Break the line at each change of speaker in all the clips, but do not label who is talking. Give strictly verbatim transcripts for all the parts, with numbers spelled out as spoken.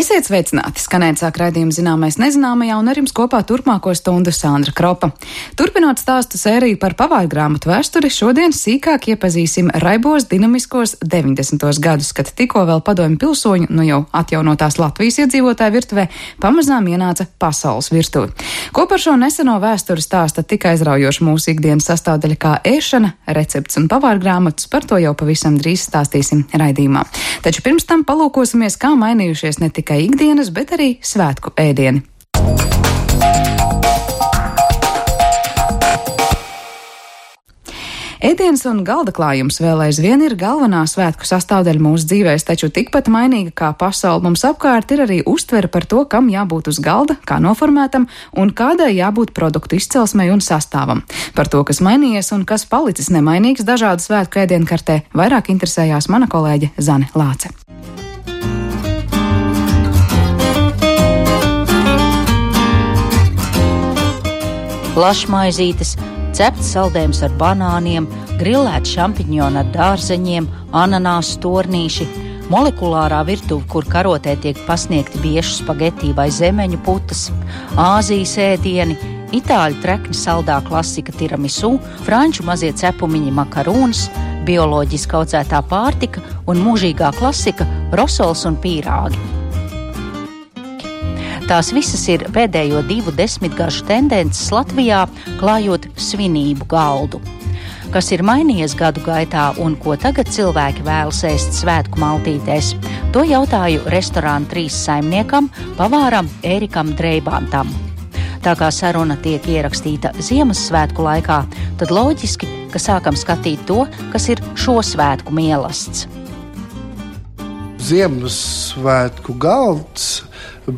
Esiet sveicināti! Skanēt sāk raidījumu Zināmais nezināmajā, un ar jums kopā turpmāko stundu Sandra Kropa. Turpinot stāstu sēriju par pavārgrāmatu vēsturi, šodien sīkāk iepazīsim raibos dinamiskos deviņdesmitos gadus, kad tikko vēl padomju pilsoņu, nu jau atjaunotās Latvijas iedzīvotāju virtuvē, pamazām ienāca pasaules virtuve. Ko par šo neseno vēsturi stāsta tik aizraujoši mūsu ikdienas sastāvdaļa kā ēšana, recepts un pavārgrāmatas, par to jau pavisam drīz stāstīsim raidījumā. Taču pirms tam palūkosimies, kā mainījušies ne tikai ikdienas, bet arī svētku ēdieni. Ēdiens un galda klājums vēl aizvien ir galvenā svētku sastāvdaļa mūsu dzīvēs, taču tikpat mainīga kā pasaule mums apkārt ir arī uztvere par to, kam jābūt uz galda, kā noformētam un kādai jābūt produktu izcelsmei un sastāvam. Par to, kas mainījies un kas palicis nemainīgs dažādu svētku ēdienu kartē, vairāk interesējās mana kolēģe Zane Lāce.
Plašmaizītes, cepts saldējums ar banāniem, grilēts šampiņoni ar dārzeņiem, ananāsu tornīši, molekulārā virtuve, kur karotē tiek pasniegti biešu spagetī vai zemeņu putas, Āzijas ēdieni, itāļu trekņa saldā klasika tiramisu, franču mazie cepumiņi makarūnas, bioloģiski audzētā pārtika un mūžīgā klasika rosols un pīrāgi. Tās visas ir pēdējo divu desmitgažu tendences Latvijā, klājot svinību galdu. Kas ir mainījies gadu gaitā un ko tagad cilvēki vēlas ēst svētku maltītēs, to jautāju restorāna trīs saimniekam, pavāram Ērikam Dreibantam. Tā kā saruna tiek ierakstīta Ziemassvētku laikā, tad loģiski, ka sākam skatīt to, kas ir šo svētku mielasts.
Ziemassvētku galds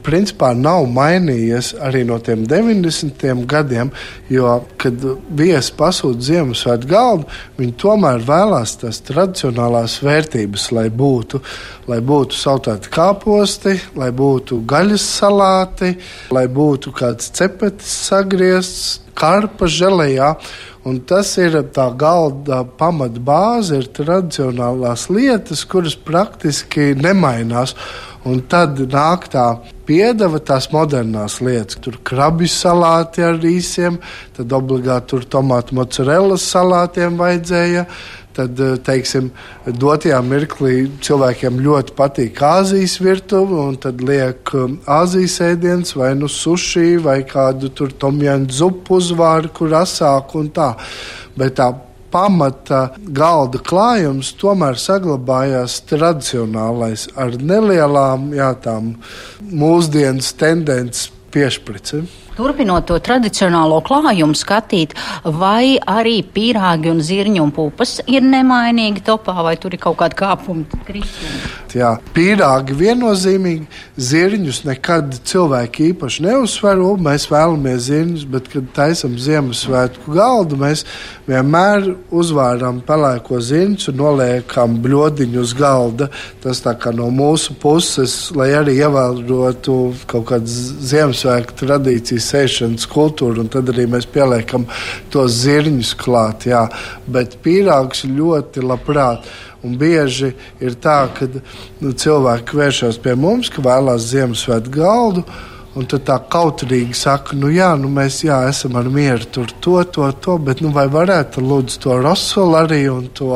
principā nav mainījies arī no tiem deviņdesmitiem gadiem, jo, kad viesi pasūta Ziemassvētku galdu, viņi tomēr vēlās tās tradicionālās vērtības, lai būtu, lai būtu saltāti kāposti, lai būtu gaļas salāti, lai būtu kāds cepetis sagriezts, karpa želejā. Un tas ir tā galda pamata bāze, ir tradicionālās lietas, kuras praktiski nemainās. Un tad nāk tā piedeva, tās modernās lietas. Tur krabju salāti ar rīsiem, tad obligāti tur tomātu mozzarellas salātiem vajadzēja. Tad, teiksim, dotajā mirklī cilvēkiem ļoti patīk Āzijas virtuve, un tad liek Āzijas ēdiens vai nu suši vai kādu tur tomjanu zupu uzvāri, kur asāk un tā. Bet tā pamata galda klājums tomēr saglabājās tradicionālais ar nelielām, jā, tām mūsdienas tendences piešpricim.
Turpinot to tradicionālo klājumu skatīt, vai arī pīrāgi un zirņu un pupas ir nemainīgi topā, vai tur ir kaut kādi kāpumi, kristumi?
Jā, pīrāgi viennozīmīgi, zirņus nekad cilvēki īpaši neuzsver, mēs vēlamies zirņus, bet, kad taisam Ziemassvētku galdu, mēs vienmēr uzvāram pelēko zirņus un noliekam bļodiņu uz galda. Tas tā kā no mūsu puses, lai arī ievērotu kaut kādas Ziemassvētku tradīcijas, sēšanas kultūru, un tad arī mēs pieliekam tos zirņus klāt, jā. Bet pīrāgus ļoti labprāt. Un bieži ir tā, ka nu, cilvēki vēršas pie mums, ka vēlās Ziemassvētku galdu, un tad tā kautrīgi saka, nu jā, nu mēs jā, esam ar mieru tur to, to, to, bet nu vai varētu lūdzu to rosolu arī un to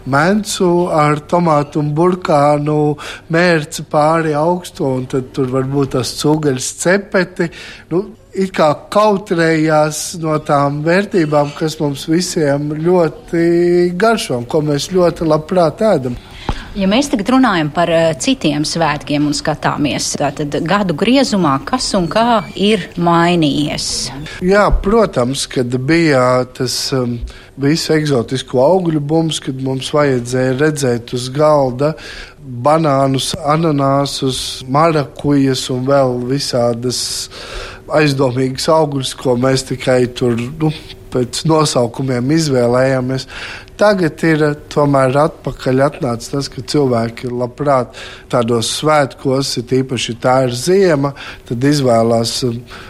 mencu ar tomātu un burkānu mērci pāri augstu, un tad tur varbūt tas cūgaļas cepeti, nu, it kā kautrējās no tām vērtībām, kas mums visiem ļoti garšo, ko mēs ļoti labprāt ēdam.
Ja mēs tagad runājam par citiem svētkiem un skatāmies, tad gadu griezumā, kas un kā ir mainījies?
Jā, protams, kad bija tas um, visu eksotisko augļu bums, kad mums vajadzēja redzēt uz galda banānus, ananāsus, marakujas un vēl visādas aizdomīgas augļus, ko mēs tikai tur, nu, pēc nosaukumiem izvēlējāmies. Tagad ir tomēr atpakaļ atnācis tas, ka cilvēki labprāt tādos svētkos, ir īpaši tā ir ziema, tad izvēlās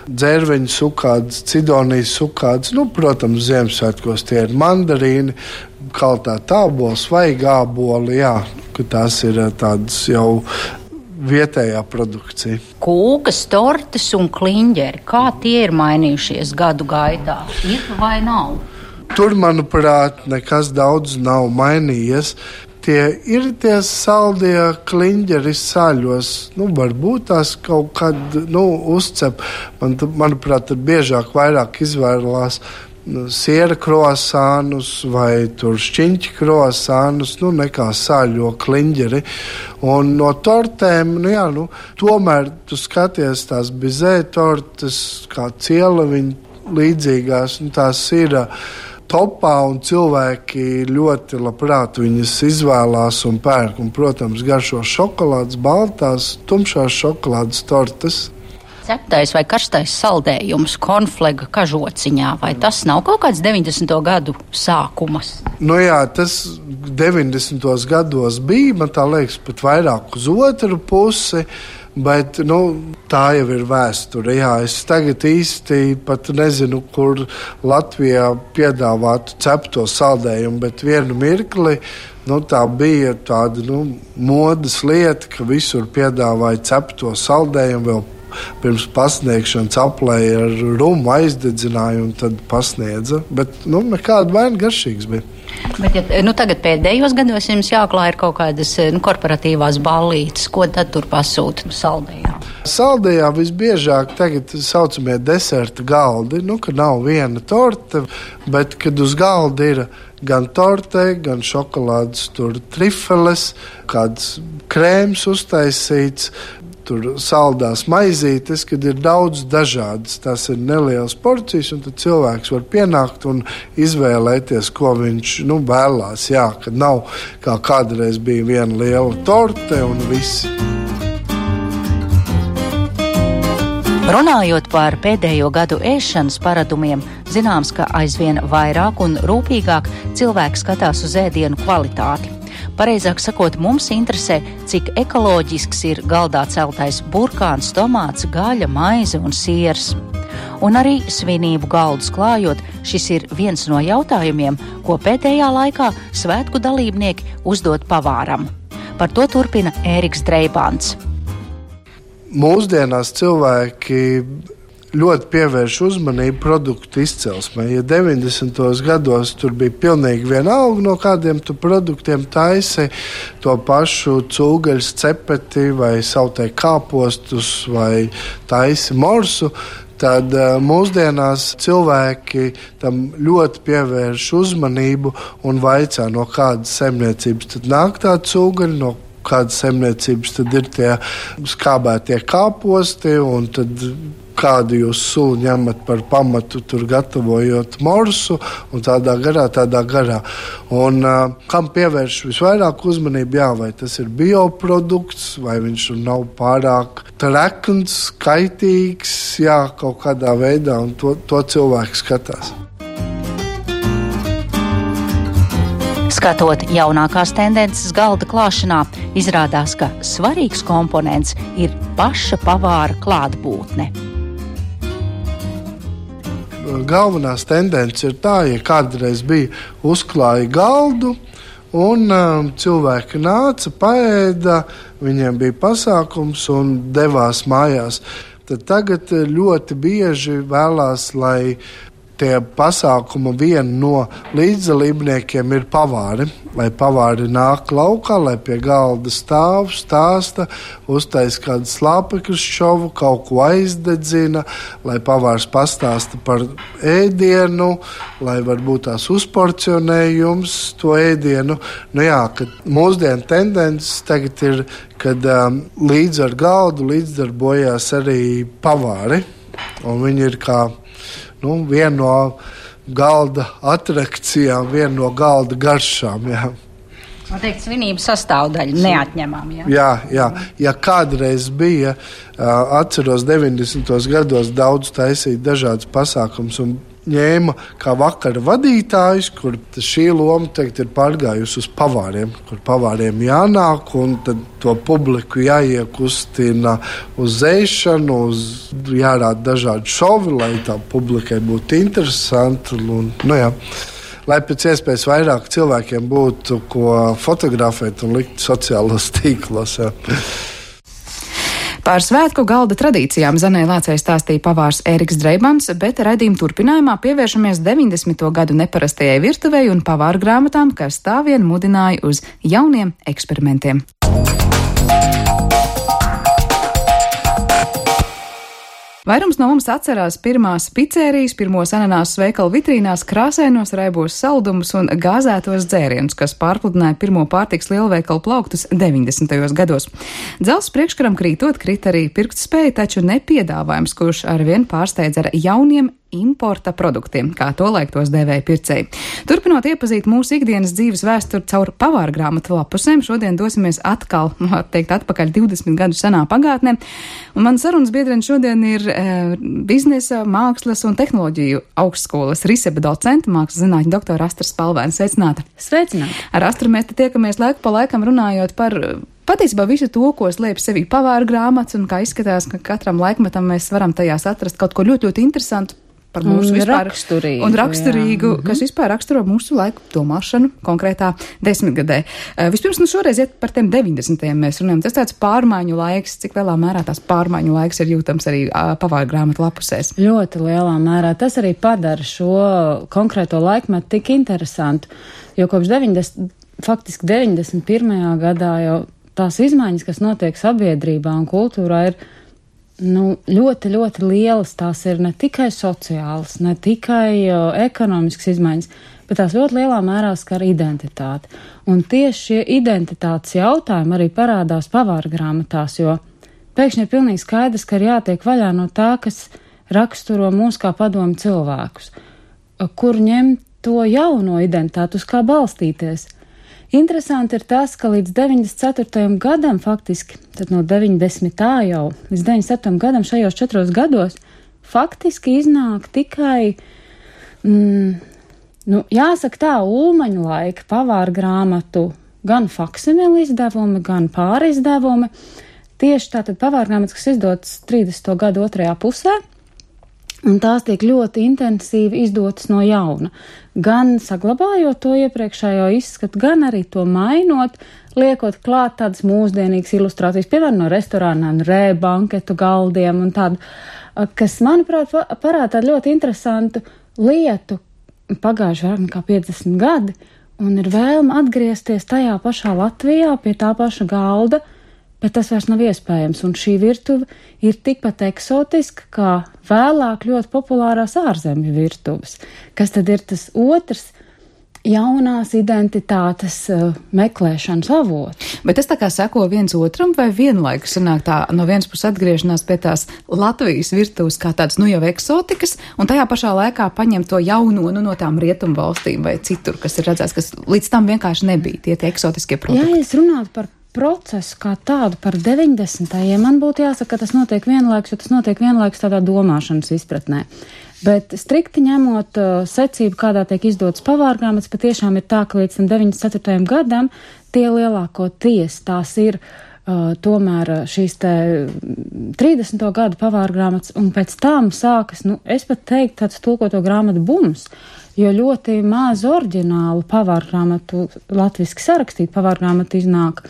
dzērveņu sukādas, cidonijas sukādas. Nu, protams, Ziemassvētkos tie ir mandarīni, kaltā tābols vai gāboli, jā, ka tās ir tādas jau vietējā produkcija.
Kūkas, tortes un kliņģeri, kā tie ir mainījušies gadu gaitā? Ir vai nav?
Tur, manuprāt, nekas daudz nav mainījies. Tie ir tie saldie kliņģeri saļos. Nu, varbūt tās kaut kad nu, uzcep. Man, manuprāt, tur biežāk vairāk izvēlās siera krosānus vai tur šķiņķi krosānus, nu, nekā sāļo kliņģeri. Un no tortēm, nu jā, nu, tomēr tu skaties tās bizē tortes, kā cielaviņa līdzīgās, nu, tās ir topā, un cilvēki ļoti labprāt viņas izvēlās un pērk. Un, protams, garšo šokolādes, baltās, tumšās šokolādes tortes.
Ceptais vai karstais saldējums konflega kažociņā, vai tas nav kaut kāds deviņdesmito gadu sākumas?
Nu jā, tas deviņdesmitos gados bija, man tā liekas, pat vairāk uz otru pusi. Bet nu, tā jau ir vēsture. Jā, es tagad īsti pat nezinu, kur Latvijā piedāvātu cepto saldējumu, bet vienu mirkli nu, tā bija tāda nu, modes lieta, ka visur piedāvāja cepto saldējumu vēl pirms pasniegšanas aplēja ar rumu aizdedzināju un tad pasniedza. Bet nu, nekāda vaina garšīgs bija.
Bet, ja nu, tagad pēdējos gados jums jāklāj ir kaut kādas nu, korporatīvās ballītes, ko tad tur pasūta saldējā?
Saldējā visbiežāk tagad saucamie deserta galdi, nu, ka nav viena torte, bet kad uz galda ir gan torte, gan šokolādes, tur trifeles, kāds krēms uztaisīts, tur saldās maizītes, kad ir daudz dažādas. Tas ir nelielas porcijas, un tad cilvēks var pienākt un izvēlēties, ko viņš nu, vēlās. Jā, kad nav kā kādreiz bija viena liela torte un visi.
Runājot par pēdējo gadu ēšanas paradumiem, zināms, ka aizvien vairāk un rūpīgāk cilvēki skatās uz ēdienu kvalitāti. Pareizāk sakot, mums interesē, cik ekoloģisks ir galdā celtais burkāns, tomāts, gaļa, maize un siers. Un arī svinību galdus klājot, šis ir viens no jautājumiem, ko pēdējā laikā svētku dalībnieki uzdod pavāram. Par to turpina Ēriks Dreibāns.
Mūsdienās cilvēki ļoti pievērš uzmanību produktu izcelsmē. Ja deviņdesmitos gados tur bija pilnīgi vienalga, no kādiem tu produktiem taisi to pašu cūgaļas cepeti vai sautē kāpostus vai taisi morsu, tad uh, mūsdienās cilvēki tam ļoti pievērš uzmanību un vaicā, no kādas saimniecības tad nāk tā cūgaļa, no kādas saimniecības tad ir tie skābētie kāposti un tad kādu jūs sulu ņemat par pamatu, tur gatavojot morsu un tādā garā, tādā garā. Un uh, kam pievērš visvairāk uzmanību, jā, vai tas ir bioprodukts, vai viņš nav pārāk trekns, kaitīgs, jā, kaut kādā veidā, un to, to cilvēki skatās.
Skatot jaunākās tendences galda klāšanā, izrādās, ka svarīgs komponents ir paša pavāra klātbūtne.
Galvenās tendences ir tā, ja kādreiz bija uzklāja galdu un um, cilvēki nāca, paēda, viņiem bija pasākums un devās mājās. Tad tagad ļoti bieži vēlās, lai tie pasākuma viena no līdzdalībniekiem ir pavāri, lai pavāri nāk laukā, lai pie galda stāv, stāsta, uztais kādu slāpekļu šovu, kaut ko aizdedzina, lai pavārs pastāsta par ēdienu, lai varbūt tās uzporcionējums to ēdienu. Nu jā, kad mūsdienu tendences tagad ir, kad um, līdz ar galdu līdzdarbojās arī pavāri, un viņi ir kā Nu, viena no galda atrakcijām, viena no galda garšām. Jā.
Man teikt, svinību sastāvdaļa neatņemama. Jā,
jā, jā. Ja kādreiz bija, atceros deviņdesmitos gados daudz taisīt dažādas pasākums un ņēma kā vakara vadītājs, kur šī loma teikt, ir pārgājusi uz pavāriem, kur pavāriem jānāk un tad to publiku jāiekustina uz ēšanu, uz jārāda dažādi šovi, lai tā publikai būtu interesanti. Un, nu jā, lai pēc iespējas vairāk cilvēkiem būtu ko fotografēt un likt sociālos tīklos. Jā.
Par svētku galda tradīcijām Zanei Lācei stāstīja pavārs Ēriks Dreibans, bet raidījuma turpinājumā pievēršamies deviņdesmito gadu neparastajai virtuvei un pavāru grāmatām, kas tā vien mudināja uz jauniem eksperimentiem. Vairums no mums atcerās pirmās picerijas, pirmos ananāsu veikalu vitrīnās, krāsainos raibos saldumus un gāzētos dzērienus, kas pārpludināja pirmo pārtiks lielveikalu plauktus deviņdesmitajos gados. Dzelzs priekškaram krītot krita arī pirktspēja, taču ne piedāvājums, kurš arvien pārsteidz ar jauniem importa produktiem, kā tolaik tos dēvēja pircēji. Turpinot iepazīt mūsu ikdienas dzīves vēsturi caur pavāru grāmatu lapusēm, šodien dosimies atkal, var teikt, atpakaļ divdesmit gadu senā pagātnē. Un man sarunas biedreni šodien ir e, biznesa, mākslas un tehnoloģiju augstskolas riseba docenta, mākslas zinātņu doktora Astra Spalvēna. Sveicināta!
Sveicināta!
Ar Astru mēs te tiekamies laiku pa laikam runājot par patiesībā visu to, ko slēp sevī pavāru grāmatas, un kā izskatās, ka katram laikmetam mēs varam tajās atrast kaut ko ļoti, ļoti interesantu par mūsu
un
vispār
raksturīgu,
un raksturīgu,
jā.
kas vispār raksturo mūsu laiku domāšanu konkrētā desmitgadē. Uh, vispirms, nu šoreiz iet par tiem deviņdesmitajiem mēs runājam. Tas tāds pārmaiņu laiks, cik lielā mērā tās pārmaiņu laiks ir jūtams arī uh, pavāru grāmatu lapusēs.
Ļoti lielā mērā. Tas arī padara šo konkrēto laikmetu tik interesantu, jo kopš deviņdesmit, faktiski deviņdesmit pirmajā gadā jau tās izmaiņas, kas notiek sabiedrībā un kultūrā, ir Nu, ļoti, ļoti lielas. Tās ir ne tikai sociālas, ne tikai uh, ekonomiskas izmaiņas, bet tās ļoti lielā mērā skar identitāti. Un tieši šie identitātes jautājumi arī parādās pavāru grāmatās, jo pēkšņi ir pilnīgi skaidrs, ka ir jātiek vaļā no tā, kas raksturo mūs kā padomu cilvēkus, kur ņemt to jauno identitāti, uz kā balstīties. Interesanti ir tas, ka līdz deviņdesmit ceturtajam gadam faktiski, tad no deviņdesmitā jau līdz deviņdesmit septītajam gadam šajos četros gados faktiski iznāk tikai, mm, nu, jāsaka tā, ulmaņu laika pavāru grāmatu gan faksimili izdevumi, gan pārizdevumi. Tieši tātad pavāru grāmatas, kas izdotas trīsdesmito gadu otrajā pusē, un tās tiek ļoti intensīvi izdotas no jauna. Gan saglabājot to iepriekšējo izskatu, gan arī to mainot, liekot klāt tādas mūsdienīgas ilustrācijas, piemēram, no restorānām, rē, banketu galdiem un tādu, kas, manuprāt, parāda tādu ļoti interesantu lietu. Pagājuši vairāk nekā piecdesmit gadi, un ir vēlme atgriezties tajā pašā Latvijā, pie tā paša galda, bet tas vairs nav iespējams, un šī virtuve ir tikpat eksotiska, kā vēlāk ļoti populārās ārzemju virtuves, kas tad ir tas otrs jaunās identitātes uh, meklēšanas avots.
Bet tas tā kā seko viens otram, vai vienlaikus sanāk tā no vienas puses atgriešanās pie tās Latvijas virtuves kā tādas, nu jau eksotikas, un tajā pašā laikā paņem to jauno, nu no tām rietumu valstīm vai citur, kas ir redzēts, kas līdz tam vienkārši nebija, tie tie eksotiskie produkti.
Ja es runātu par procesu kā tādu par deviņdesmitajiem, man būtu jāsaka, ka tas notiek vienlaikus, jo tas notiek vienlaikus tādā domāšanas izpratnē. Bet strikti ņemot uh, secību, kādā tiek izdotas pavāru grāmatas, patiešām ir tā, ka līdz tam deviņdesmit ceturtajam gadam tie lielākoties tās ir uh, tomēr šīs te trīsdesmito gadu pavāru grāmatas, un pēc tam sākas, nu, es pat teiktu, tāds tulkoto grāmatu bums, jo ļoti maz oriģinālu pavāru grāmatu, latviski sarakstītu pavāru grāmatu iznāk.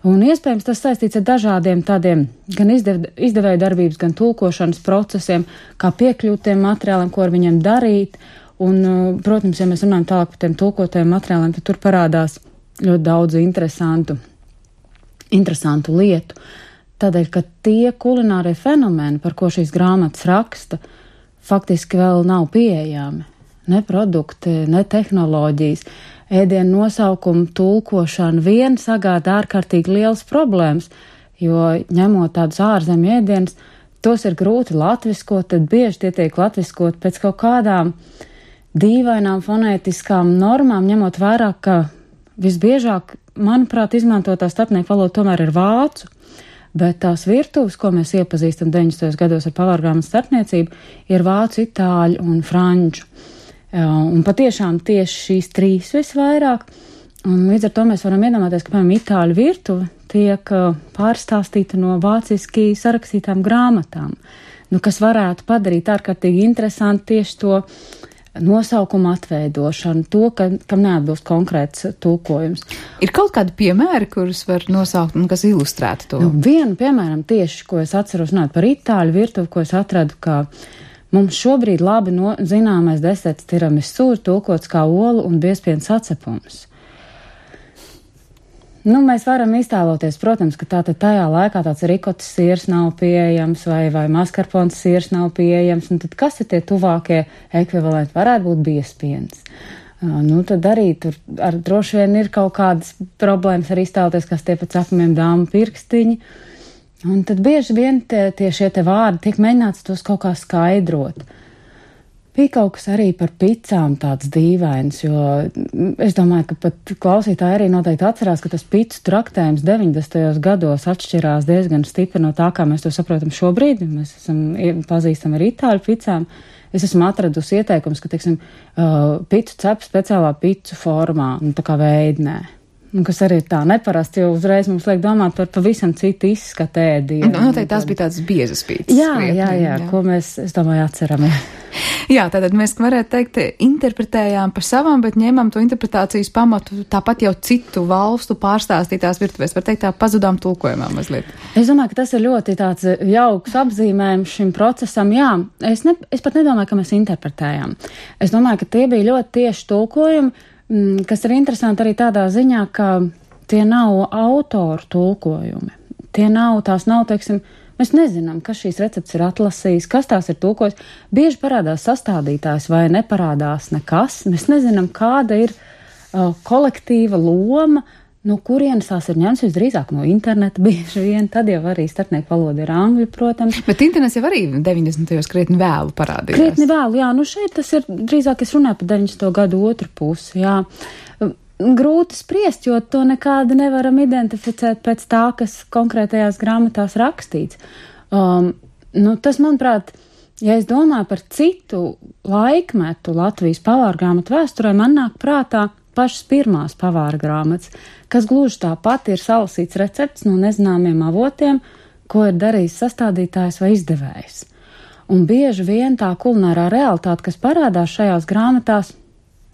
Un iespējams tas saistīts ar dažādiem tādiem gan izdev, izdevēju darbības, gan tulkošanas procesiem, kā piekļūt tiem materiāliem, ko ar viņiem darīt. Un, protams, ja mēs runājam tālāk par tiem tulkotajiem materiāliem, tad tur parādās ļoti daudz interesantu, interesantu lietu. Tādēļ, ka tie kulinārie fenomeni, par ko šīs grāmatas raksta, faktiski vēl nav pieejami. Ne produkti, ne tehnoloģijas, ēdienu nosaukumu tulkošana vien sagādā ārkārtīgi liels problēmas, jo ņemot tādus ārzemju ēdienus, tos ir grūti latviskot, tad bieži tie tiek latviskot pēc kaut kādām dīvainām fonētiskām normām, ņemot vērā, ka visbiežāk, manuprāt, izmantotā starpnieku valoda tomēr ir vācu, bet tās virtuves, ko mēs iepazīstam deviņdesmitajos gados ar pavāru grāmatu starpniecību, ir vācu, itāļu un franču. Un patiešām tieši šīs trīs visvairāk, un līdz ar to mēs varam iedomāties, ka, piemēram, itāļu virtuve tiek pārstāstīta no vāciski sarakstītām grāmatām, nu, kas varētu padarīt ārkārtīgi interesanti tieši to nosaukuma atveidošanu, to, ka, kam neatbilst konkrēts tulkojums.
Ir kaut kādi piemēri, kurus var nosaukt un kas ilustrētu to?
Nu, vienu, piemēram, tieši, ko es atceros runāt par itāļu virtuvi, ko es atradu, ka mums šobrīd labi no, zināmais deserts tiramisu ir tulkots kā olu un biezpiens sacepums. Nu, mēs varam iztēloties, protams, ka tātad tajā laikā tāds rikotas siers nav pieejams vai, vai maskarpons siers nav pieejams, un tad kas ir tie tuvākie ekvivalenti? Varētu būt biezpiens. Uh, nu, tad arī tur ar droši vien ir kaut kādas problēmas ar iztēloties, kas tie pēc apmiem dāmu pirkstiņi. Un tad bieži vien tie, tie šie te vārdi tiek mēģināts tos kaut kā skaidrot. Bija kaut kas arī par picām tāds dīvains, jo es domāju, ka pat klausītāji arī noteikti atcerās, ka tas picu traktējums deviņdesmitajos gados atšķirās diezgan stipri no tā, kā mēs to saprotam šobrīd. Mēs esam pazīstami ar itāļu picām. Es esmu atradusi ieteikums, ka, teiksim, uh, picu cep speciālā picu formā, nu tā kā veidnē. Un kas arī ir tā neparasti, jo uzreiz mums liek domāt par pavisam citu izskatu ēdienu.
Nu, noteikti tās bija tādas biezas pītas.
Jā, jā, jā, jā, ko mēs, es domāju, atceramies.
Jā, tātad mēs varētu teikt, interpretējām pa savam, bet ņēmām to interpretācijas pamatu tāpat jau citu valstu pārstāstītās virtuvēs. Var teikt, tā pazudām tulkojumā mazliet.
Es domāju, ka tas ir ļoti tāds jauks apzīmējums šim procesam. Jā, es, ne, es pat nedomāju, ka mēs interpretējām. Es domāju, ka tie bija ļoti tieši tulkojumi, kas ir interesanti arī tādā ziņā, ka tie nav autoru tulkojumi. Tie nav, tās nav, teiksim, mēs nezinām, kas šīs recepts ir atlasījis, kas tās ir tulkojis. Bieži parādās sastādītājs vai neparādās nekas. Mēs nezinām, kāda ir uh, kolektīva loma, no kurienes tās ir ņemts, visdrīzāk no interneta bieži vien, tad jau arī starpnieku valoda ir angļu, protams.
Bet internets jau arī deviņdesmitajos krietni vēlu parādījās.
Krietni vēlu, jā, nu šeit tas ir, drīzāk es runāju par deviņdesmito gadu otru pusi, jā. Grūti spriest, jo to nekādi nevaram identificēt pēc tā, kas konkrētajās grāmatās rakstīts. Um, nu, tas, manuprāt, ja es domāju par citu laikmetu Latvijas pavāru grāmatu vēsturē, man nāk prātā pašas pirmās pavāra grāmatas, kas gluži tāpat ir salasīts recepts no nezināmiem avotiem, ko ir darījis sastādītājs vai izdevējs. Un bieži vien tā kulinārā realitāte, kas parādās šajās grāmatās,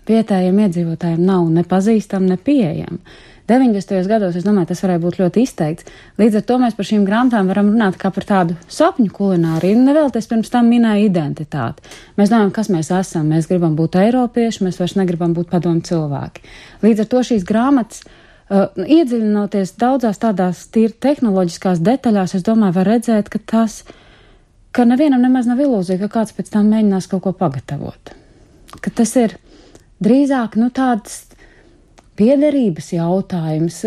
vietējiem iedzīvotājiem nav nepazīstama, nepieejama. deviņdesmitajos gados, es domāju, tas varēja būt ļoti izteikts. Līdz ar to mēs par šīm grāmatām varam runāt kā par tādu sapņu kulināriju, un nevēlties pirms tam minēja identitāti. Mēs domājam, kas mēs esam, mēs gribam būt eiropieši, mēs vairs negribam būt padomu cilvēki. Līdz ar to šīs grāmatas, uh, iedziļinoties daudzās tādās tīri tehnoloģiskās detaļās, es domāju, var redzēt, ka tas, ka nevienam nemaz nav ilūzija, ka kāds pēc tam mēģinās kaut ko pagatavot. Ka tas ir drīzāk, nu, tāds piederības jautājums,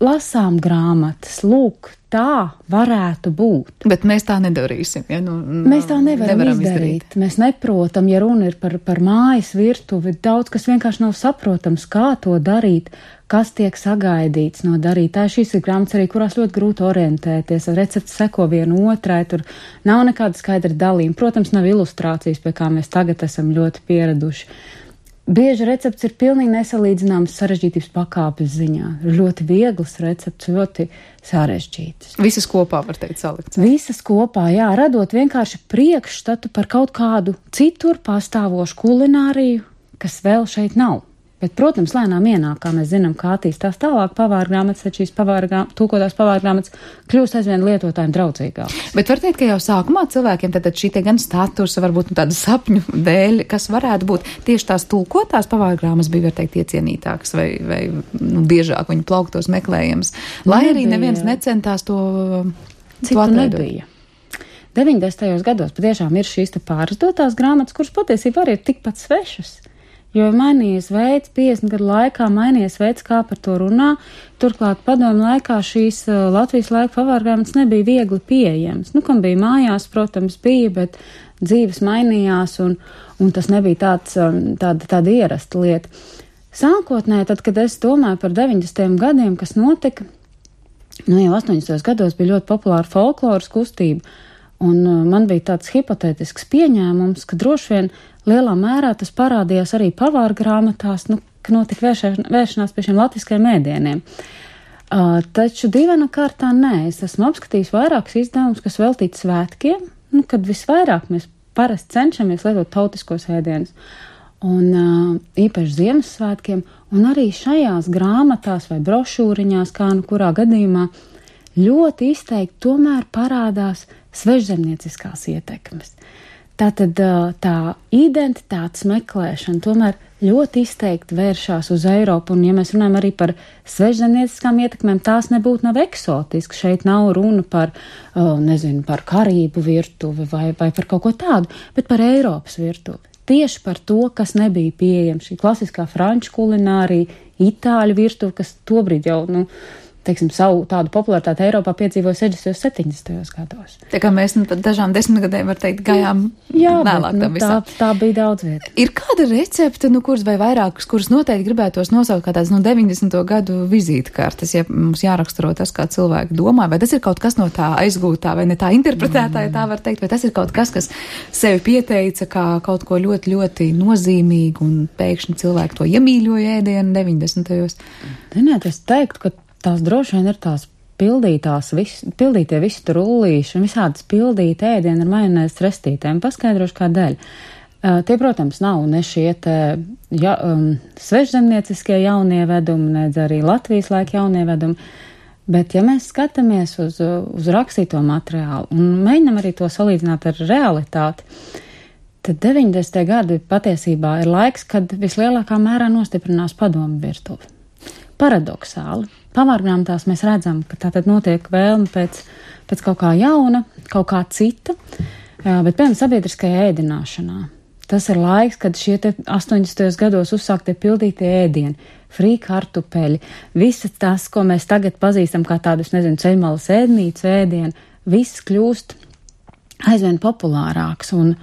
lasām grāmatas, lūk, tā varētu būt.
Bet mēs tā nedarīsim, ja? Nu,
mēs tā nevaram, nevaram izdarīt. izdarīt. Mēs neprotam, ja runa ir par, par mājas virtuvi, daudz kas vienkārši nav saprotams, kā to darīt, kas tiek sagaidīts no darītāja. Šīs ir grāmatas arī, kurās ļoti grūti orientēties, recepti seko vienu otrai, tur nav nekāda skaidra dalījuma. Protams, nav ilustrācijas, pie kā mēs tagad esam ļoti pieraduši. Bieži recepts ir pilnīgi nesalīdzināms sarežģītības pakāpes ziņā. Ļoti viegls recepts, ļoti sarežģīts.
Visas kopā, var teikt, salikts.
Visas kopā, jā, radot vienkārši priekšstatu par kaut kādu citur pastāvošu kulināriju, kas vēl šeit nav. Bet, protams, lēnām ienāk, kā mēs zinām, kā attīstās tālāk pavāra grāmatas, tad šīs pavāra, tūkotās pavāra grāmatas kļūst aizvien lietotājiem draudzīgākas.
Bet var teikt, ka jau sākumā cilvēkiem tad šī te gan status, varbūt nu, tāda sapņu dēļ, kas varētu būt tieši tās tulkotās pavāra grāmatas bija, var teikt, iecienītākas vai, vai nu, biežāk viņu plauktos meklējams, lai nebija. Arī neviens necentās to
citu nebija. deviņdesmitajos gados patiešām ir šīs te pārizdotās grāmatas, kuras patiesībā arī ir tikpat svešas. Jo mainījies veids, piecdesmit gadu laikā mainījies veids, kā par to runā. Turklāt padomu laikā šīs uh, Latvijas laika pavāra grāmatas nebija viegli pieejamas. Nu, kam bija mājās, protams, bija, bet dzīves mainījās un, un tas nebija tāds, um, tāda, tāda ierasta lieta. Sākotnēji, tad, kad es domāju par deviņdesmitajiem gadiem, kas notika, nu jau astoņdesmitajos gados bija ļoti populāra folkloras kustība. Un uh, man bija tāds hipotētisks pieņēmums, ka droši vien lielā mērā tas parādījās arī pavāra grāmatās, nu, ka notika vēršē, vēršanās pie šiem latviskajiem ēdieniem. Uh, taču divana kārtā nē, es esmu apskatījis vairākus izdevumus, kas veltīti svētkiem, nu, kad visvairāk mēs parasti cenšamies lietot tautiskos ēdienus. Un uh, īpaši Ziemassvētkiem, un arī šajās grāmatās vai brošūriņās, kā nu kurā gadījumā, ļoti izteikti tomēr parādās svežzemnieciskās ietekmes. Tātad tā identitātes meklēšana tomēr ļoti izteikti vēršās uz Eiropu, un ja mēs runājam arī par svežzemnieciskām ietekmēm, tās nebūtu nav eksotiski. Šeit nav runa par, nezinu, par karību virtuvi vai, vai par kaut ko tādu, bet par Eiropas virtuvi. Tieši par to, kas nebija pieejams, šī klasiskā franču kulinārija, itāļu virtuve, kas tobrīd jau, nu, teiksim, savu tādu popularitāti Eiropā piedzīvoja sešdesmitajos, septiņdesmitajos gados.
Tā kā mēs nu, pat dažām desmitgadēm, var teikt, gājām
Jā,
vēlāk
bet,
tam
nu,
visam.
Tā, tā bija daudz vieta.
Ir kāda recepte, nu, kuras vai vairākas, kuras noteikti gribētos nosaukt kā tāds, nu, deviņdesmito gadu vizītkartes, ja mums jāraksturo tas, kā cilvēki domā, vai tas ir kaut kas no tā aizgūtā, vai ne tā interpretētā, ja tā var teikt, vai tas ir kaut kas, kas sevi pieteica kā kaut ko ļoti, ļoti nozīmīgu, un pēkšņi cilvēki to iemīļoja ēdienu deviņdesmitajos.
Ziniet, es teiktu, ka tās droši vien ir tās pildītās, vis, pildītie visi tur rullīši un visādas pildīti ēdieni ar majonēzes restītēm. Paskaidrošu kādēļ. Uh, tie, protams, nav ne šie te ja, um, svežzemnieciskie jaunievedumi, nedz arī Latvijas laika jaunievedumi, bet ja mēs skatāmies uz, uz rakstīto materiālu un mēģinam arī to salīdzināt ar realitāti, tad deviņdesmitie gadi patiesībā ir laiks, kad vislielākā mērā nostiprinās padomu virtuve. Paradoxāli. Pavārgrāmatās mēs redzam, ka tātad notiek vēlme pēc, pēc kaut kā jauna, kaut kā cita, bet, piemēram, sabiedriskajā ēdināšanā. Tas ir laiks, kad šie te astoņdesmitajos gados uzsāktie pildītie ēdieni, frī kartupeļi, visas tās, ko mēs tagad pazīstam kā tādus, nezinu, ceļmalas ēdnīcu ēdienu, viss kļūst aizvien populārāks. Un,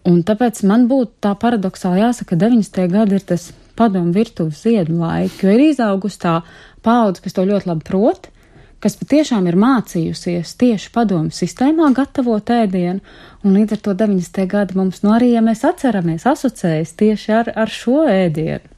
un tāpēc man būtu tā paradoxāli jāsaka, ka deviņdesmitie gadi ir tas padomu virtuves ziedu laiki, jo ir izaugusi tā paudze, kas to ļoti labi prot, kas patiešām ir mācījusies tieši padomu sistēmā gatavot ēdienu, un līdz ar to deviņdesmitie gadi mums, nu arī, ja mēs atceramies, asociējas tieši ar, ar šo ēdienu.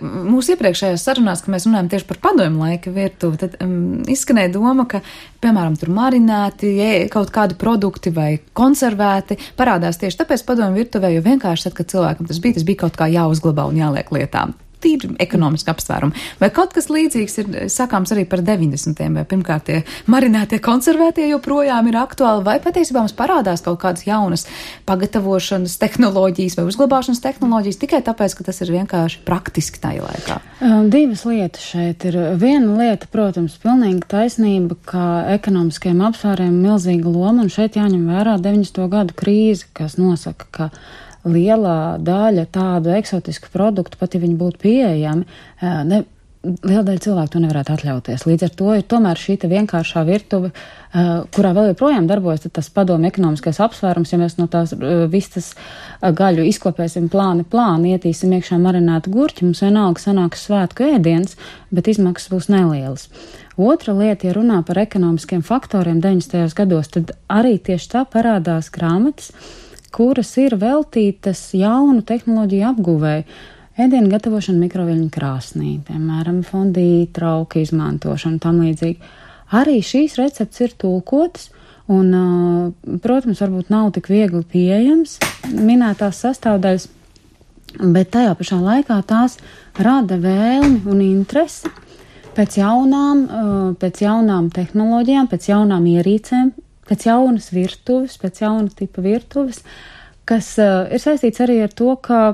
Mūsu iepriekšējās sarunās, ka mēs runājam tieši par padomu laika virtuvi, tad um, izskanēja doma, ka, piemēram, tur marinēti kaut kādi produkti vai konservēti parādās tieši tāpēc padomu virtuvē, jo vienkārši tad, kad cilvēkam tas bija, tas bija kaut kā jāuzglabā un jāliek lietām. Tīri ekonomiski apsvērumi. Vai kaut kas līdzīgs ir sakāms arī par deviņdesmitiem, vai pirmkārt tie marinētie konservētie joprojām ir aktuāli, vai patiesībā mums parādās kaut kādas jaunas pagatavošanas tehnoloģijas vai uzglabāšanas tehnoloģijas tikai tāpēc, ka tas ir vienkārši praktiski tajā laikā?
Divas lietas šeit ir. Viena lieta, protams, pilnīgi taisnība, ka ekonomiskajiem apsvērumiem milzīga loma, un šeit jāņem vērā deviņdesmito gadu krīze, kas nosaka, ka lielā daļa tādu eksotisku produktu, pat ja viņi būtu pieejami, ne, liela daļa cilvēku to nevarētu atļauties. Līdz ar to ir tomēr šī te vienkāršā virtuve, kurā vēl joprojām darbojas tas padomu ekonomiskais apsvērums, ja mēs no tās vistas gaļu izkopēsim plāni plāni, ietīsim iekšā marinētu gurķi, mums vienalga sanāks svētku ēdiens, bet izmaksas būs nelielas. Otra lieta, ja runā par ekonomiskiem faktoriem deviņdesmitajos gados, tad arī tieši tā parādās grāmatas, kuras ir veltītas jaunu tehnoloģiju apguvēju, ēdienu gatavošanu mikroviļņu krāsnī, piemēram, fondī, trauka izmantošanu, tam līdzīgi. Arī šīs recepts ir tulkotas, un, protams, varbūt nav tik viegli pieejams minētās sastāvdaļas, bet tajā pašā laikā tās rada vēlmi un interesi pēc jaunām, pēc jaunām tehnoloģijām, pēc jaunām ierīcēm, pēc jaunas virtuves, pēc jauna tipa virtuves, kas uh, ir saistīts arī ar to, ka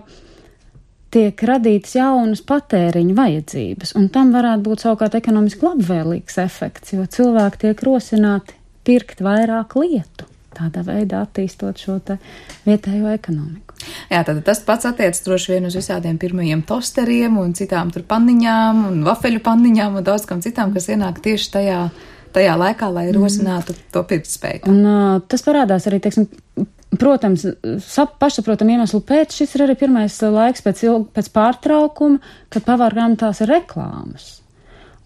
tiek radīts jaunas patēriņa vajadzības, un tam varētu būt savukārt ekonomiski labvēlīgs efekts, jo cilvēki tiek rosināti pirkt vairāk lietu, tādā veidā attīstot šo te vietējo ekonomiku.
Jā, tad tas pats attiec droši vien uz visādiem pirmajiem tosteriem un citām tur panniņām un vafeļu panniņām un daudz kam citām, kas ienāk tieši tajā tajā laikā, lai rosinātu mm. to pirktspēju.
Un uh, tas parādās arī, teiksim, protams, sap, pašsaprotam iemeslu pēc, šis ir arī pirmais laiks pēc, ilg, pēc pārtraukuma, kad pavārgrāmatās ir reklāmas.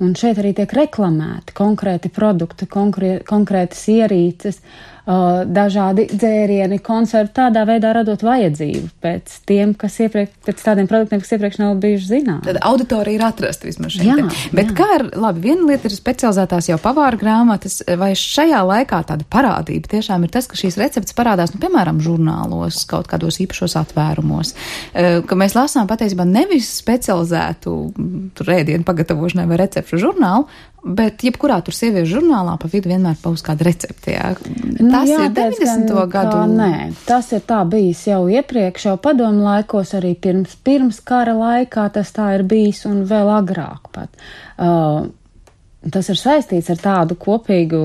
Un šeit arī tiek reklamēti konkrēti produkti, konkrē, konkrētas ierīces, uh, dažādi dzērieni, konservi, tādā veidā radot vajadzību pēc tiem, kas iepriekš, pēc tādiem produktiem, kas iepriekš nav bijuši zinām.
Tad auditorija ir atrasta vismaz šeit.
Jā,
Bet
jā.
kā ar, labi, viena lieta ir specializētās jau pavāra grāmatas, vai šajā laikā tāda parādība tiešām ir tas, ka šīs receptes parādās, nu, piemēram, žurnālos, kaut kādos īpašos atvērumos, ka mēs lasām patiesībā nevis specializētu tur ēdienu pagatavošanai vai recepšu žurnālu, bet jebkurā tur sieviešu žurnālā pa vidu vienmēr pauz kāda recepte, jā.
Nu,
Tas
jāteic,
ir deviņdesmito gadu.
Kā, nē, tas ir tā bijis jau iepriekš, jau padomu laikos, arī pirms, pirms kara laikā tas tā ir bijis un vēl agrāk pat. Uh, tas ir saistīts ar tādu kopīgu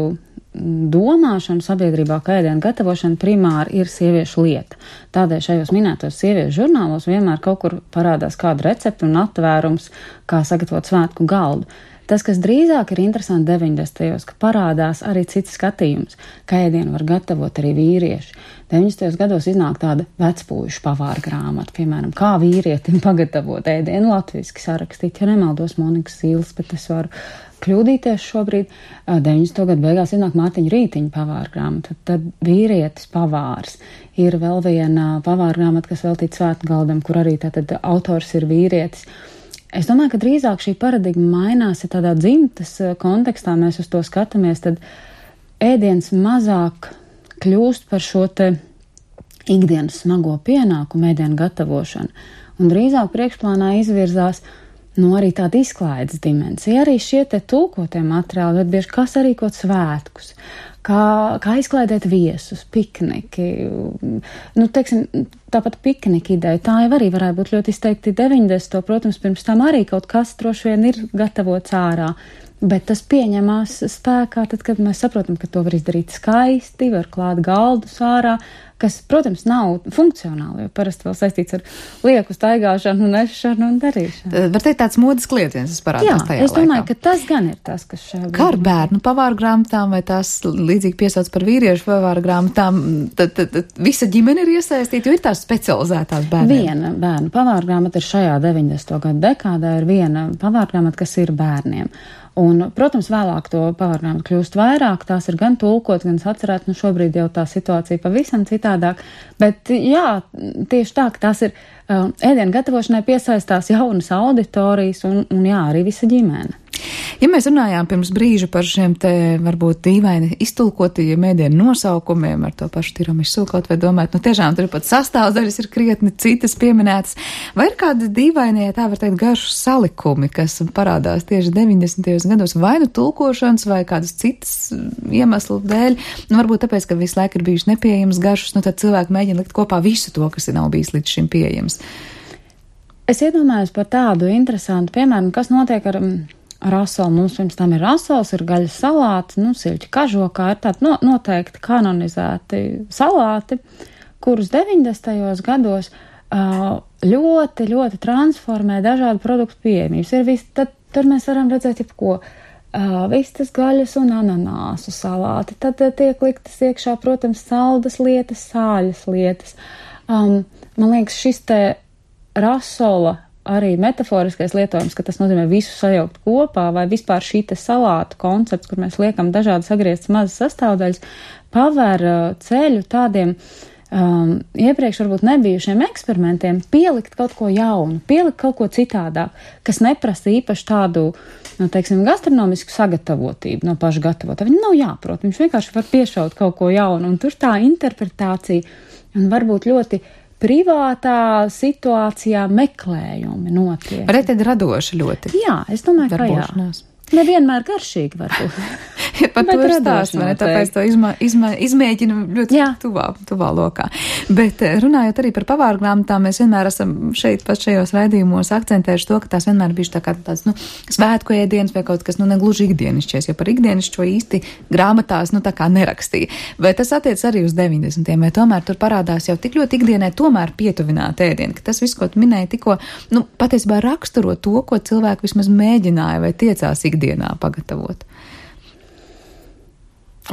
domāšanu sabiedrībā, ka ēdienu gatavošana primāri ir sieviešu lieta. Tādēļ šajos minētos sieviešu žurnālos vienmēr kaut kur parādās kāda recepte un atvērums, kā sagatavot svētku galdu. Tas, kas drīzāk ir interesanti deviņdesmitajos, ka parādās arī cits skatījums, ka ēdienu var gatavot arī vīrieši. deviņdesmitajos gados iznāk tāda vecpūjušu pavāra grāmata, piemēram, kā vīrietim pagatavot ēdienu latviski sarakstīt, ja nemaldos Monikas Zīles, bet es varu kļūdīties šobrīd. deviņdesmito gadu beigās iznāk Mārtiņa Rītiņa pavāra grāmata, tad vīrietis pavārs. Ir vēl viena pavāra grāmata, kas veltīta svētku galdam, kur arī tātad autors ir vīrietis. Es domāju, ka drīzāk šī paradigma mainās, ja tādā dzimtas kontekstā mēs uz to skatāmies, tad ēdiens mazāk kļūst par šo te ikdienas smago pienākumu ēdienu gatavošanu, un drīzāk priekšplānā izvirzās no arī tāda izklaides dimensija. Arī šie te tulkotie materiāli, bet bieži kas arī kaut svētkus, kā, kā izklaidēt viesus, pikniki. Nu, teiksim, tāpat piknika ideja, tā jau arī varētu būt ļoti izteikti deviņdesmito, protams, pirms tam arī kaut kas droši vien ir gatavots ārā, bet tas pieņemās spēkā tad, kad mēs saprotam, ka to var izdarīt skaisti, var klāt galdus ārā, kas, protams, nav funkcionāli, jo parasti vēl saistīts ar lieku staigāšanu, nešanu un darīšanu.
Var teikt, tāds modes klietiens, tas parādās
Jā,
tajā laikā.
es domāju, ka tas gan ir tas, kas šajā
Kā ar bērnu pavāra grāmatām, vai tās līdzīgi piesauc par vīriešu pavāra grāmatām, tad, tad, tad visa ģimene ir iesaistīta, jo ir tās specializētās bērniem.
Viena bērnu pavāra grāmata ir šajā deviņdesmito gadu dekādā, ir viena pavāra grāmata, kas ir bērniem. Un, protams, vēlāk to pavārgrāmatu kļūst vairāk, tās ir gan tulkot, gan atcerēt, nu šobrīd jau tā situācija pavisam citādāk, bet jā, tieši tā, ka tās ir uh, ēdienu gatavošanai piesaistās jaunas auditorijas un, un jā, arī visa ģimene.
Ja mēs runājām pirms brīža par šiem te varbūt dīvaini iztulkotajiem ēdienu nosaukumiem ar to pašu tiramisu kaut vai domāt, nu tiešām tur pat sastāvdaļas ir krietni citas pieminētas, vai ir kādi dīvaini, ja tā var teikt, garšu salikumi, kas parādās tieši deviņdesmitajos gados, vai nu tulkošanas vai kādas citas iemeslu dēļ, nu varbūt tāpēc, ka visu laiku ir bijuši nepieejams garšas, nu tad cilvēki mēģina likt kopā visu to, kas nav bijis līdz šim pieejams.
Es iedomājos par tādu interesantu piemēru, kas notiek ar rasolu. Mums pirms tam ir rasols, ir gaļas salāti, nu, siļķi kažokā, ir tādi no, noteikti kanonizēti salāti, kurus deviņdesmitajos gados uh, ļoti, ļoti transformē dažādu produktu pieejamības. Ir visi, tad tur mēs varam redzēt jebko. Uh, vistas gaļas un ananāsu salāti. Tad uh, tiek liktas iekšā, protams, saldas lietas, sāļas lietas. Um, man liekas, šis te rasola arī metaforiskais lietojums, ka tas nozīmē visu sajaukt kopā, vai vispār šī te salātu koncepts, kur mēs liekam dažādas sagrieztas mazas sastāvdaļas, paver uh, ceļu tādiem um, iepriekš varbūt nebijušiem eksperimentiem, pielikt kaut ko jaunu, pielikt kaut ko citādāk, kas neprasa īpaši tādu, nu, teiksim, gastronomisku sagatavotību no paša gatavotā. Viņam nav jāprot, viņš vienkārši var piešaut kaut ko jaunu, un tur tā interpretācija un varbūt ļoti privātā situācijā meklējumi notiek.
Arī tad radoši ļoti.
Jā, es domāju, ka jā. Nevienmēr garšīgi varbūt.
Ja par to ir stāsts, vai ne? Tāpēc to izmā, izmā, izmēģinu ļoti Jā. tuvā, tuvā lokā. Bet runājot arī par pavāru grāmatām, mēs vienmēr esam šeit pat šajos raidījumos akcentējuši to, ka tās vienmēr bijuši tā kā tāds, nu, svētku ēdienas vai kaut kas, nu, negluži ikdienišķies, jo par ikdienišķo īsti grāmatās, nu, tā kā nerakstīja. Vai tas attiec arī uz deviņdesmitiem, vai tomēr tur parādās jau tik ļoti ikdienai tomēr pietuvināt ēdienu, ka tas viss, ko tu minēji tikko, nu, patiesībā raksturo to, ko cilvēki vismaz mēģināja vai tiecās ikdienā pagatavot.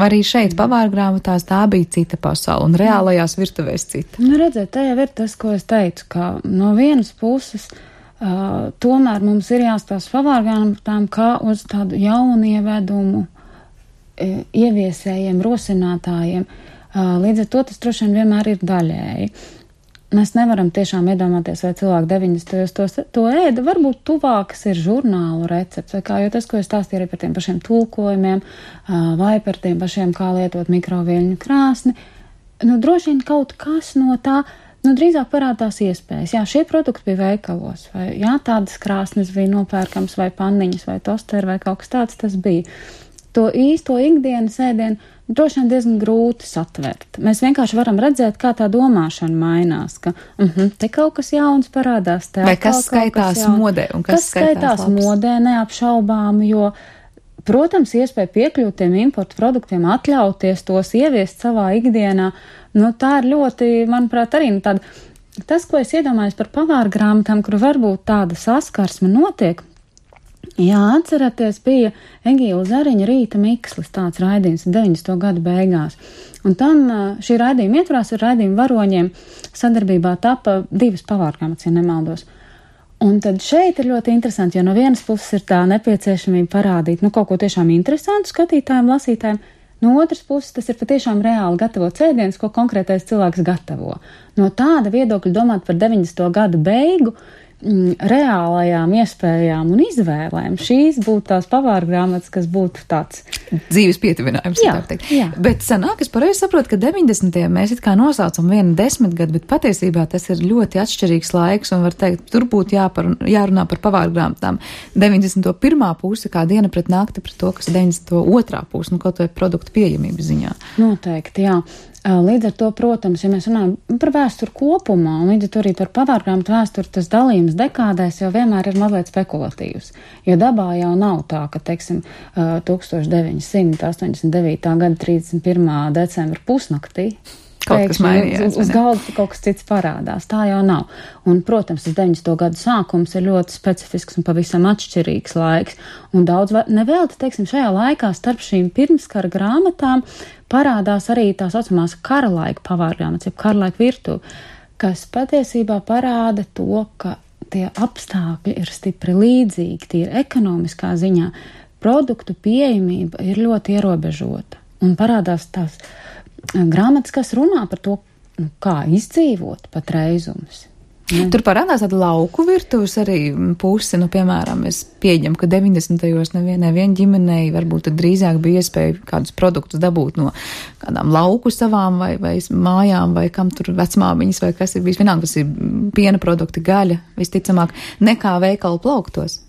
Arī šeit pavārgrāmatās tā bija cita pasaule un reālajās virtuvēs cita.
Nu, redziet, tā jau ir tas, ko es teicu, ka no vienas puses uh, tomēr mums ir jāstāsta pavārgrāmatām kā uz tādu jaunu ievedumu uh, ieviesējiem, rosinātājiem. Līdz ar to tas droši vien vienmēr ir daļēji. Mēs nevaram tiešām iedomāties, vai cilvēki deviņdesmitajos to, to ēda. Varbūt tuvākas ir žurnālu recepts, vai kā, jo tas, ko es stāstīju arī par tiem pašiem tulkojumiem, vai par tiem pašiem, kā lietot mikroviļņu krāsni, nu, droši vien kaut kas no tā, nu, drīzāk parādās iespējas. Jā, šie produkti bija veikalos, vai, jā, tādas krāsnes bija nopērkams, vai panniņas, vai tosteri, vai kaut kas tāds tas bija. To īsto ikdienas ēdienu droši vien diezgan grūti satvert. Mēs vienkārši varam redzēt, kā tā domāšana mainās, ka uh -huh, te kaut kas jauns parādās. Te
vai kas skaitās kas modē un kas,
kas skaitās, skaitās modē neapšaubām, jo, protams, iespēja piekļūt tiem importu produktiem, atļauties tos ieviest savā ikdienā, nu tā ir ļoti, manuprāt, arī nu, tāda, tas, ko es iedomājos par pavāru grāmatām, kur varbūt tāda saskarsme notiek. Jā, atceraties, bija Egīla Zariņa Rīta Mikslis, tāds raidījums deviņdesmito gadu beigās. Un tam šī raidījuma ietvarās ar raidījumu varoņiem sadarbībā tapa divas pavārgrāmatas, ja nemaldos. Un tad šeit ir ļoti interesanti, jo no vienas puses ir tā nepieciešamība parādīt, nu, kaut ko tiešām interesantu skatītājiem, lasītājiem. No otras puses, tas ir patiešām reāli gatavots ēdiens, ko konkrētais cilvēks gatavo. No tāda viedokļa domāt par deviņdesmito gadu beigu, reālajām iespējām un izvēlēm. Šīs būtu tās pavāru grāmatas, kas būtu tāds
dzīves pietuvinājums.
Jā, jā.
Bet sanāk, es pareizi saprotu, ka deviņdesmitie mēs it kā nosaucam vienu desmitgadu, bet patiesībā tas ir ļoti atšķirīgs laiks un var teikt, tur būtu jāpar, jārunā par pavāru grāmatām. deviņdesmito pirmā puse kā diena pret nakti pret to, kas ir deviņdesmito otrā puse, nu kaut vai produktu pieejamības ziņā.
Noteikti, jā. Līdz ar to, protams, ja mēs runājam par vēsturi kopumā, un līdz ar to arī par pavārgrāmatu vēsturi, tas dalījums dekādēs jau vienmēr ir mazliet spekulatīvs. Jo dabā jau nav tā, ka, teiksim, tūkstoš deviņi simti astoņdesmit devītā gada trīsdesmit pirmā decembra pusnaktī
kaut kas mainījās.
Uz, uz galda kaut kas cits parādās. Tā jau nav. Un, protams, tas deviņdesmito gadu sākums ir ļoti specifisks un pavisam atšķirīgs laiks. Un daudz, nevēlti, teiksim, šajā laikā starp šīm pirmskara grāmatām parādās arī tā saucamās kara laika pavārgrāmatas, jeb kara laika virtuve, kas patiesībā parāda to, ka tie apstākļi ir stipri līdzīgi, tie ir ekonomiskā ziņā. Produktu pieejamība ir ļoti ierobežota. Un parādās tās grāmatas, kas runā par to, nu, kā izdzīvot patreizumus. Ne?
Tur parādās tāda lauku virtuves arī puse, nu, piemēram, es pieņemu, ka deviņdesmitajos nevienai vien ģimenei varbūt tad drīzāk bija iespēja kādus produktus dabūt no kādām lauku savām vai, vai mājām vai kam tur vecmāmiņas vai kas ir bijis. Vienalga, tas ir piena produkti, gaļa, visticamāk, nekā veikalu plauktos.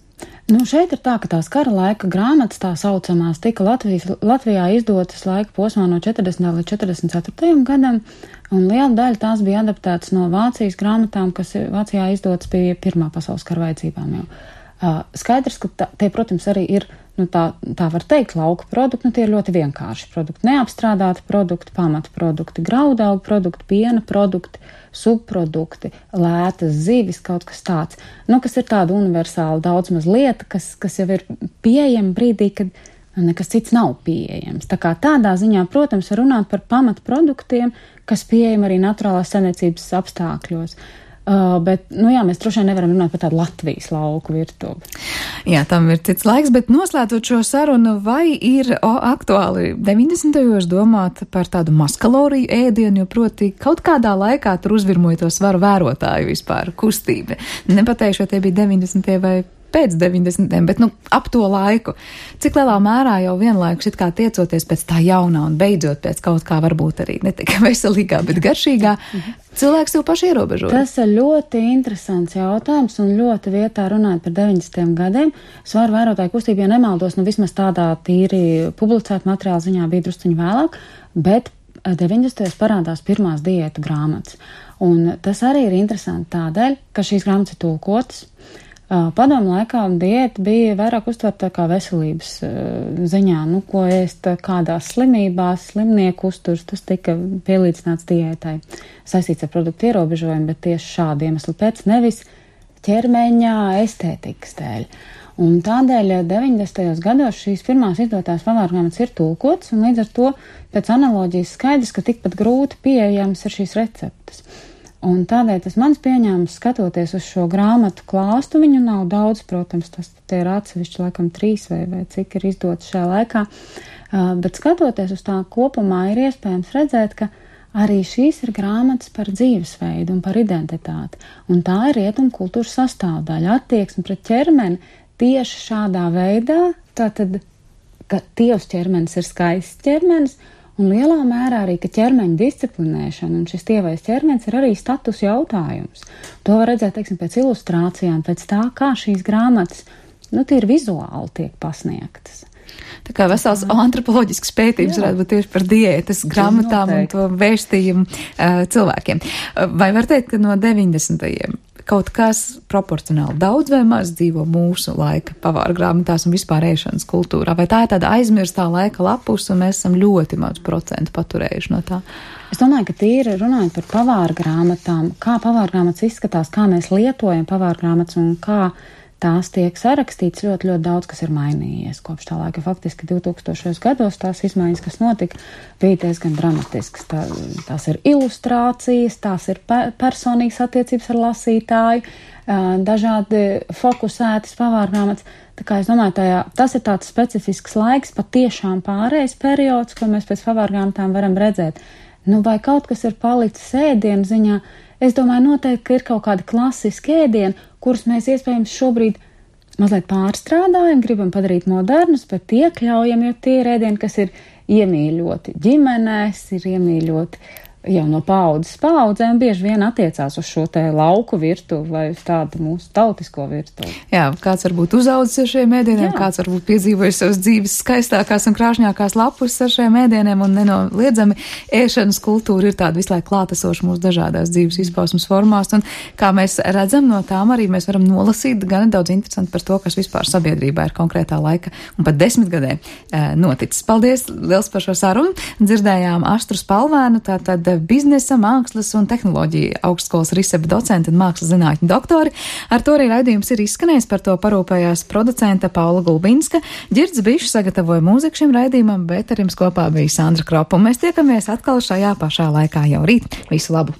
Nu, šeit ir tā, ka tās kara laika grāmatas, tā saucamās, tika Latvijas, Latvijā izdotas laika posmā no četrdesmitajā līdz četrdesmit ceturtajam gadam, un liela daļa tās bija adaptētas no Vācijas grāmatām, kas Vācijā izdotas bija Pirmā pasaules kara vajadzībām jau. Uh, skaidrs, ka tā, tie, protams, arī ir, nu, tā, tā var teikt, lauka produkti, nu, tie ir ļoti vienkārši produkti, neapstrādāti produkti, pamata produkti, graudaugu produkti, piena produkti, subprodukti, lētas zivis, kaut kas tāds, nu, kas ir tāda universāla daudz maz lieta, kas, kas jau ir pieejama brīdī, kad nekas cits nav pieejams. Tā kā tādā ziņā, protams, var runāt par pamata produktiem, kas pieejami arī naturālās saimniecības apstākļos. Uh, bet, nu jā, mēs droši vien nevaram runāt par tādu Latvijas lauku virtuvi.
Jā, tam ir cits laiks, bet noslēdzot šo sarunu, vai ir o, aktuāli deviņdesmitajos domāt par tādu mazkaloriju ēdienu, jo proti kaut kādā laikā tur uzvirmoja to svaru vērotāju vispār kustība. Nepateikšu, vai tie bija deviņdesmitie vai pēc deviņdesmitiem, bet, nu, ap to laiku. Cik lielā mērā jau vienlaikus it kā tiecoties pēc tā jaunā un beidzot pēc kaut kā varbūt arī ne tikai veselīgā, bet garšīgā, cilvēks jau paši ierobežoja.
Tas ir ļoti interesants jautājums un ļoti vietā runāt par deviņdesmitiem gadiem. Svaru vērotāju kustību, ja nemaldos, nu vismaz tādā tīri publicēta materiāla ziņā bija drusciņi vēlāk, bet deviņdesmitajos parādās pirmās diētu grāmatas. Un tas arī ir interesanti tādēļ, ka šīs grāmatas ir tulkotas. Padomu laikā diēta bija vairāk uztverta kā veselības ziņā, nu, ko ēst kādās slimībās, slimnieku uzturs, tas tika pielīdzināts diētai, saistīts ar produktu ierobežojumu, bet tieši šādu iemeslu pēc, nevis ķermeņa estētikas dēļ. Un tādēļ deviņdesmitajos gados šīs pirmās izdotās pavārgrāmatas ir tulkotas, un līdz ar to pēc analoģijas skaidrs, ka tikpat grūti pieejams ir šīs receptes. Un tādēļ tas mans pieņēmums, skatoties uz šo grāmatu klāstu, viņu nav daudz, protams, tas tie ir atsevišķi laikam trīs vai, vai cik ir izdots šajā laikā, uh, bet skatoties uz tā kopumā ir iespējams redzēt, ka arī šīs ir grāmatas par dzīvesveidu un par identitāti, un tā ir rietumu kultūras sastāvdaļa, attieksme pret ķermeni tieši šādā veidā, tātad, ka tievs ķermenis ir skaists ķermenis, un lielā mērā arī, ka ķermeņa disciplinēšana un šis tievais ķermenis ir arī status jautājums. To var redzēt, teiksim, pēc ilustrācijām, pēc tā, kā šīs grāmatas, nu, tīri vizuāli tiek pasniegtas.
Tā kā vesels antropoloģisks pētījums varētu būt tieši par diētas grāmatām un to vēstījumu uh, cilvēkiem. Uh, vai var teikt, ka no deviņdesmitajiem kaut kas proporcionāli daudz vai maz dzīvo mūsu laika pavāra grāmatās un vispār ēšanas kultūrā? Vai tā ir tāda aizmirstā laika lapus un mēs esam ļoti maz procentu paturējuši no tā?
Es domāju, ka tīri runājot par pavāra grāmatām, kā pavāra grāmatas izskatās, kā mēs lietojam pavāra grāmatas un kā tās tiek sarakstīts, ļoti, ļoti daudz, kas ir mainījies kopš tā laika. Faktiski divtūkstošajos gados tās izmaiņas, kas notika, bija diezgan dramatiskas. Tā, tās ir ilustrācijas, tās ir pe personīgas attiecības ar lasītāju, dažādi fokusētas pavārgrāmatas. Tā kā es domāju, tajā, tas ir tāds specifisks laiks, patiešām pārējais periods, ko mēs pēc pavārgrāmatām varam redzēt. Nu, vai kaut kas ir palicis ēdienu ziņā? Es domāju, noteikti, ka ir kaut kādi klasiski ēdieni, kurus mēs iespējams šobrīd mazliet pārstrādājam, gribam padarīt modernus, bet iekļaujam, jo tie ir ēdieni, kas ir iemīļoti ģimenēs, ir iemīļoti jau no paudzes paudzēm, bieži vien attiecās uz šo te lauku virtuvi vai uz tādu mūsu tautisko virtuvi.
Jā, kāds varbūt uzaudzis ar šiem ēdieniem, Jā. kāds varbūt piedzīvojis savas dzīves skaistākās un krāšņākās lapus ar šiem ēdieniem, un nenoliedzami ēšanas kultūra ir tāda visu laiku klātesoša mūsu dažādās dzīves izpausmes formās, un kā mēs redzam no tām arī mēs varam nolasīt gan daudz interesanti par to, kas vispār sabiedrībā ir konkrētā laika un pat desmitgadē e, noticis. Paldies liels par šo sarunu. Dzirdējām Astru Spalvēnu, tātad biznesa, mākslas un tehnoloģija augstskolas RISEB docenti un mākslas zinātņu doktori. Ar to arī raidījums ir izskanējis, par to parūpējās producente Paula Gulbinska. Ģirds Bišs sagatavoja mūziku šim raidījumam, bet ar jums kopā bija Sandra Kropa. Un mēs tiekamies atkal šajā pašā laikā jau rīt. Visu labu!